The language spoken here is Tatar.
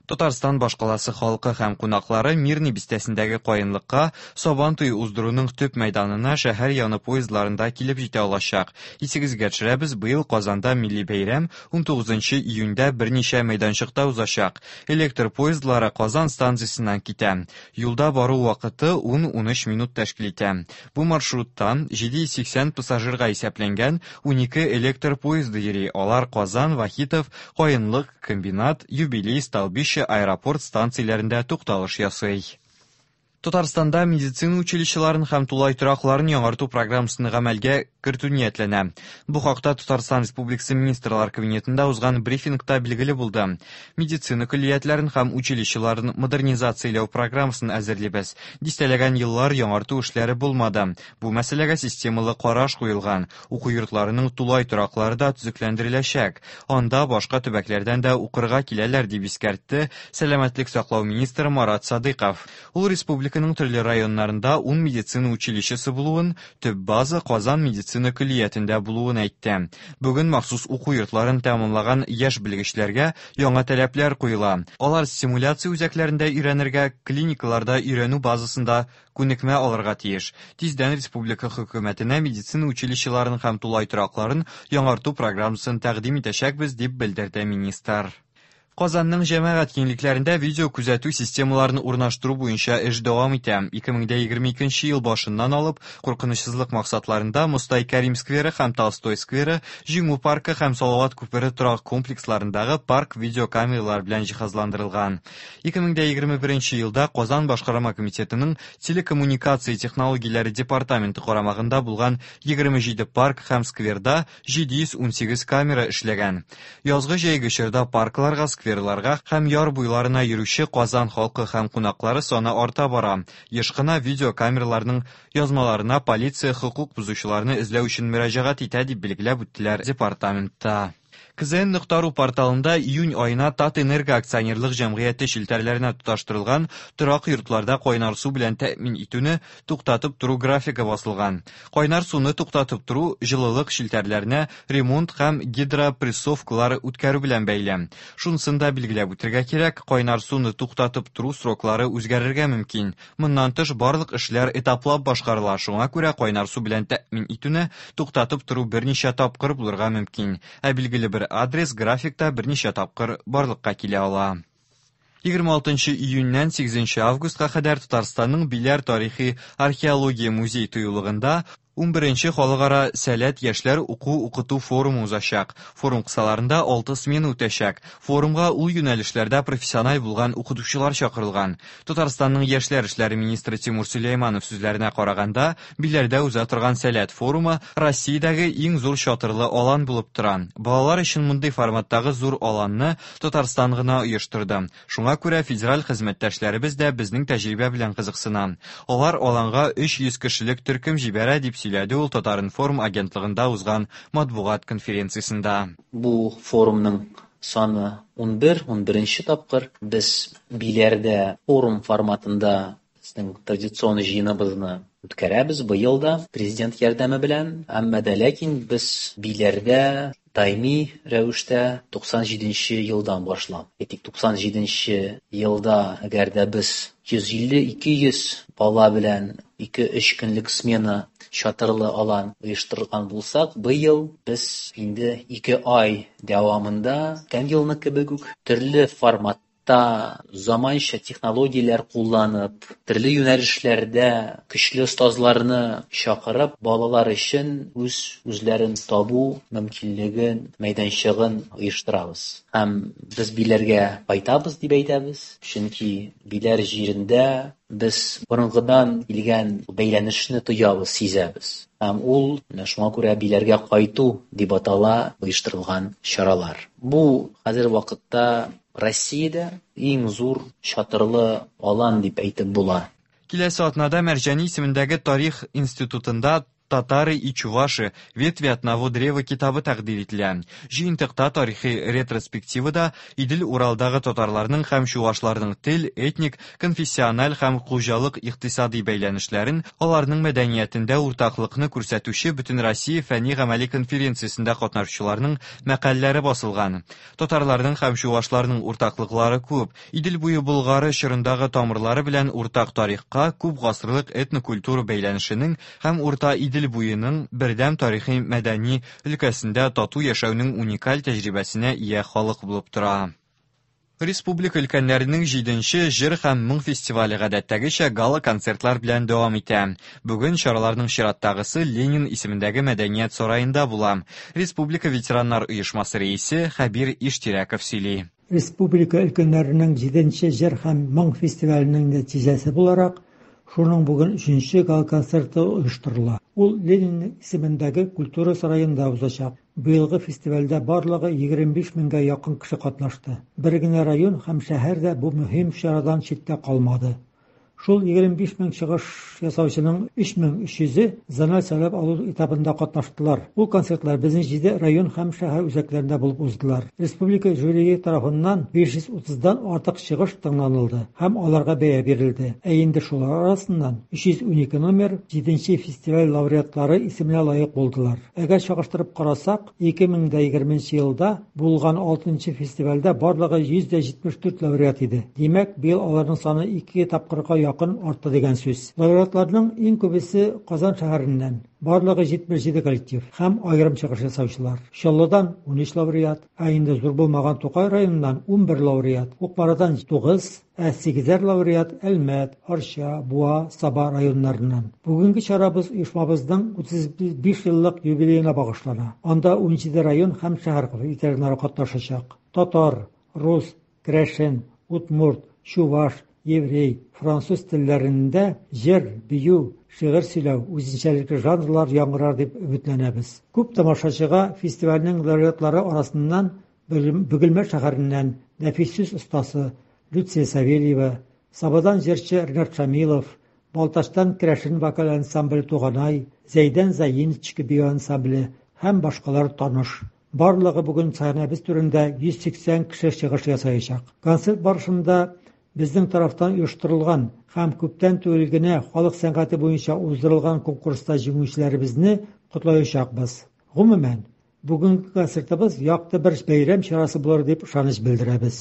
Татарстан башкаласы халкы һәм кунаклары Мирный бистәсендәге Каенлыкка Сабан туе уздыруның төп мәйданына шәһәр яны поездларында килеп җитә алачак. Исегезгә төшерәбез, быел Казанда милли бәйрәм 19 июньдә берничә мәйданчыкта узачак. Электр поездлары Казан станциясеннән китә. Юлда бару вакыты 10-13 минут тәшкил итә. Бу маршрутта 780 пассажирга исәпләнгән 12 электр поезды йөри. Алар Казан, Вахитов, Каенлык, Комбинат, Юбилей, Столбище, Аэропорт станцияләрендә тукталыш ясый. Татарстанда медицина училищеларын һәм тулай торакларын яңарту программасын гамәлгә кертү ниятләнә. Бу хакта Татарстан Республикасы Министрлар Кабинетында узган брифингта билгеле булды. Медицина көллиятләрен һәм училищеларын модернизацияләү программасын әзерлибез. Дистәләгән еллар яңарту эшләре булмады. Бу мәсьәләгә системалы караш куелган. Уку йортларының тулай тораклары да төзекләндереләчәк. Анда башка төбәкләрдән дә укырга киләләр, дип искәртте сәламәтлек саклау министры Марат Садыйков. Ул республиканың төрле районнарында ун медицина училищесы булуын, төп база Казан медицина көллиятендә булуын әйтте. Бүген махсус уку йортларын тәмамлаган яшь белгечләргә яңа таләпләр куела. Алар стимуляция үзәкләрендә өйрәнергә, клиникаларда өйрәнү базасында күнекмә алырга тиеш. Тиздән республика хөкүмәтенә медицина училищеларын һәм тулай торакларын яңарту программасын тәкъдим итәчәкбез, дип белдерде министр. Казанның җәмәгать киңлекләрендә видеокүзәтү системаларын урнаштыру буенча эш дәвам итә. 2022 ел башыннан алып, куркынычсызлык максатларында Мостай Кәрим скверы һәм Толстой скверы, Җиңү паркы һәм Салават күпере торак комплексларындагы парк видеокамералар белән җиһазландырылган. 2021 елда Казан башкарма комитетының телекоммуникация технологияләре департаменты карамагында булган 27 парк һәм скверда 718 камера эшләгән. Язгы-җәйге чорда паркларга, скверларга һәм яр буйларына йөрүче Казан халкы һәм кунаклары саны арта бара. Еш кына видеокамераларның язмаларына полиция хокук бозучыларны эзләү өчен мөрәҗәгать итә, дип билгеләп үттеләр департаментта. КЗН.ру порталында июнь аена Татэнерго акционерлык җәмгыяте челтәрләренә тоташтырылган торак йортларда кайнар су белән тәэмин итүне туктатып тору графигы басылган. Кайнар суны туктатып тору җылылык челтәрләренә ремонт һәм гидропрессовкалар үткәрү белән бәйле. Шунысын да билгеләп үтергә кирәк, кайнар суны туктатып тору сроклары үзгәрергә мөмкин. Моннан тыш, барлык эшләр этаплап башкарыла, шуңа күрә кайнар су белән тәэмин итүне туктатып тору берничә тапкыр булырга мөмкин, ә билгеле бер адрес графикта берничә тапкыр барлыкка килә ала. 26 июньнән 8 августка кадәр Татарстанның Биләр тарихи археология музей тыюлыгында 11 халыкара Сәләт яшьләр уку-укыту форумы узачак. Форум кысаларында 6 смена үтәчәк. Форумга ул юнәлешләрдә профессиональ булган укытучылар чакырылган. Татарстанның яшьләр эшләре министры Тимур Сөләйманов сүзләренә караганда, Биләрдә уза торган Сәләт форумы Россиядәге иң зур чатырлы алан булып тора. Балалар өчен мондый форматтагы зур аланны Татарстан гына оештырды. Шуңа күрә федераль хезмәттәшләребез дә безнең тәҗрибә белән кызыксына. Алар аланга 300 кешелек төркем җибәрә, дип сөйләде ул Татар-информ агентлыгында узган матбугат конференциясендә. Бу форумның саны 11, унберенче тапкыр без Биләрдә форум форматында безнең традицион җыеныбызны үткәрәбез быел да президент ярдәме белән. Әмма дә ләкин без Биләрдә даими рәвештә 97 елдан башлап. Әйтик, 97 елда әгәр дә без 150-200 бала белән 2-3 көнлек смена чатырлы алан оештырган булсак, быел без инде 2 ай дәвамында, үткән елны кебек үк, төрле формат та заманча технологияләр кулланып, төрле юнәлешләрдә көчле остазларны чакырып, балалар өчен үз үзләрен табу мөмкинлеген, мәйданчыгын оештырабыз. Һәм без Биләргә кайтабыз дип әйтәбез, чөнки Биләр җирендә без борынгыдан килгән бәйләнешне тоябыз, сизәбез. Һәм ул менә шуңа күрә Биләргә кайту дип атала оештырылган чаралар. Бу хәзер вакытта Россиядә иң зур чатырлы алан дип әйтеп була. Киләсе атнада Мәрҗани исемендәге тарих институтында Татары и чуваши. Ветви одного древа китабы тәкъдир ителә. Җыентыкта тарихи ретроспективада Идел-Уралдагы татарларның һәм чувашларның тел, этник, конфессиональ һәм хуҗалык-икътисадый бәйләнешләрен, аларның мәдәниятендә уртаклыкны күрсәтүче Бөтенроссия фәнни-гамәли конференциясендә катнашучыларның мәкаләләре басылган. Татарларның һәм чувашларның уртаклыклары күп. Идел буе Болгары чорындагы тамырлары белән уртак тарихка, күп гасырлык этнокультура бәйләнешенең һәм Урта Идел буеның бердәм тарихи-мәдәни өлкәсендә тату яшәүнең уникаль тәҗрибәсенә ия халык булып тора. Республика өлкәннәренең җиденче җыр һәм моң фестивале гадәттәгечә гала-концертлар белән дәвам итә. Бүген чараларның чираттагысы Ленин исемендәге мәдәният сараенда була. Республика ветераннар оешмасы рәисе Хәбир Иштирәков сөйли. Республика өлкәннәренең җиденче җыр һәм моң фестиваленең нәтиҗәсе буларак, шуның бүген өченче гала-концерты оештырыла. Ул Ленин исемендәге Культура сараенда узачак. Быелгы фестивальдә барлыгы 25 меңгә якын кеше катнашты. Бер генә район һәм шәһәр дә бу мөһим чарадан читтә калмады. Шул 25 мең чыгыш ясаучының 3300-е зональ сайлап алу этабында катнаштылар. Ул концертлар безнең җиде район һәм шәһәр үзәкләрендә булып уздылар. Республика жюрие тарафыннан 530 дан артык чыгыш тыңланылды һәм аларга бәя бирелде. Ә инде шулар арасыннан 312 номер җиденче фестиваль лауреатлары исеменә лаек булдылар. Әгәр чагыштырып карасак, 2020 нче елда булган алтынчы фестивальдә барлыгы 174 лауреат иде. Димәк, быел аларның саны ике тапкырга якын артты дигән сүз. Лауреатларның иң күбесе Казан шәһәреннән, барлыгы 77 коллектив һәм аерым чыгыш ясаучылар. Чаллыдан 13 лауреат, ә инде зур булмаган Тукай районыннан 11 лауреат, Кукмарадан 9, Ә сигезәр лауреат Әлмәт, Арча, Буа, Саба районнарыннан. Бүгенге чарабыз оешмабызның 35 еллык юбилеена багышлана. Анда 17 район һәм шәһәр ветераннары катнашачак. Татар, рус, керәшен, удмурт, чуваш, еврей, француз телләрендә җыр, бию, шигырь сөйләү, үзенчәлекле жанрлар яңгырар дип өметләнәбез. Күп тамашачыга фестивальнең лауреатлары арасыннан Бөгелмә шәһәреннән нәфис сүз остасы Люция Савельева, Сабадан җырчы Ринат Шамилов, Балтачтан керәшен вокаль ансамбле Туганай, Зәйдән Заиночка бию ансамбле һәм башкалар таныш. Барлыгы бүген сәхнәбез түрендә 180 кеше чыгыш ясаячак. Концерт барышында безнең тарафтан оештырылган һәм күптән түгел генә халык сәнгате буенча уздырылган конкурста җиңүчеләребезне котлаячакбыз. Гомумән, Бүгенге концертыбыз якты бер бәйрәм чарасы булыр дип ышаныч белдерәбез.